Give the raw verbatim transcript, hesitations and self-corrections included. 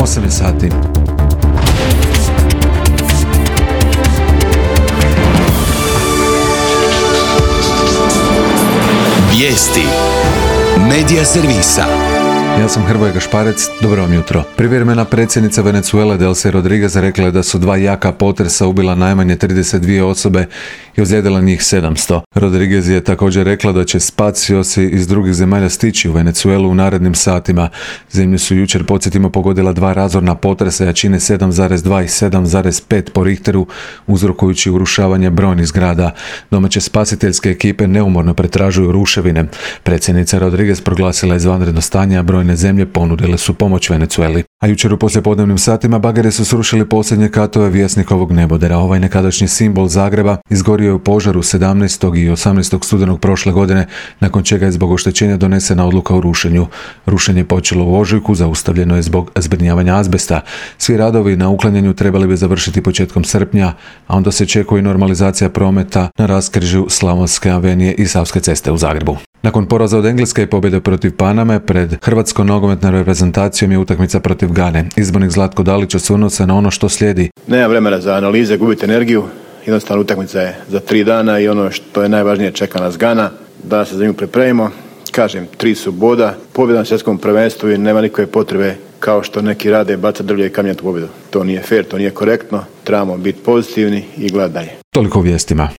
osam je sati. Vijesti Medija servisa. Ja sam Hrvoje Gašparec, dobro vam jutro. Privremena predsjednica Venezuele Delcy Rodriguez rekla je da su dva jaka potresa ubila najmanje trideset dvije osobe i ozlijedila njih sedamsto. Rodriguez je također rekla da će spaciosi iz drugih zemalja stići u Venezuelu u narednim satima. Zemlju su jučer, podsjetimo, pogodila dva razorna potresa jačine sedam zarez dva i sedam zarez pet po Richteru, uzrokujući urušavanje brojnih zgrada. Domaće spasiteljske ekipe neumorno pretražuju ruševine. Predsjednica Rodriguez proglasila je izvanredno stanje, a brojne zemlje ponudile su pomoć Venezueli. A jučer u poslijepodnevnim satima bageri su srušili posljednje katove Vjesnikovog nebodera. Ovaj nekadašnji simbol Zagreba izgorio je u požaru sedamnaestog i osamnaestog studenog prošle godine, nakon čega je zbog oštećenja donesena odluka o rušenju. Rušenje je počelo u ožujku, zaustavljeno je zbog zbrinjavanja azbesta. Svi radovi na uklanjanju trebali bi završiti početkom srpnja, a onda se očekuje normalizacija prometa na raskrižju Slavonske avenije i Savske ceste u Zagrebu. Nakon poraza od Engleske i pobjede protiv Paname, pred hrvatskom nogometnom reprezentacijom je utakmica protiv Gane. Izbornik Zlatko Dalić osvrnuo se na ono što slijedi. Nema vremena za analize, gubite energiju. Jednostavno utakmica je za tri dana i ono što je najvažnije, čeka nas Gana. Da se za nju pripremimo. Kažem, tri su boda, pobjeda na svjetskom prvenstvu i nema nikakve potrebe kao što neki rade baca drvlje i kamenjati pobjedu. To nije fair, to nije korektno. Trebamo biti pozitivni i gledati dalje. Toliko u vijestima.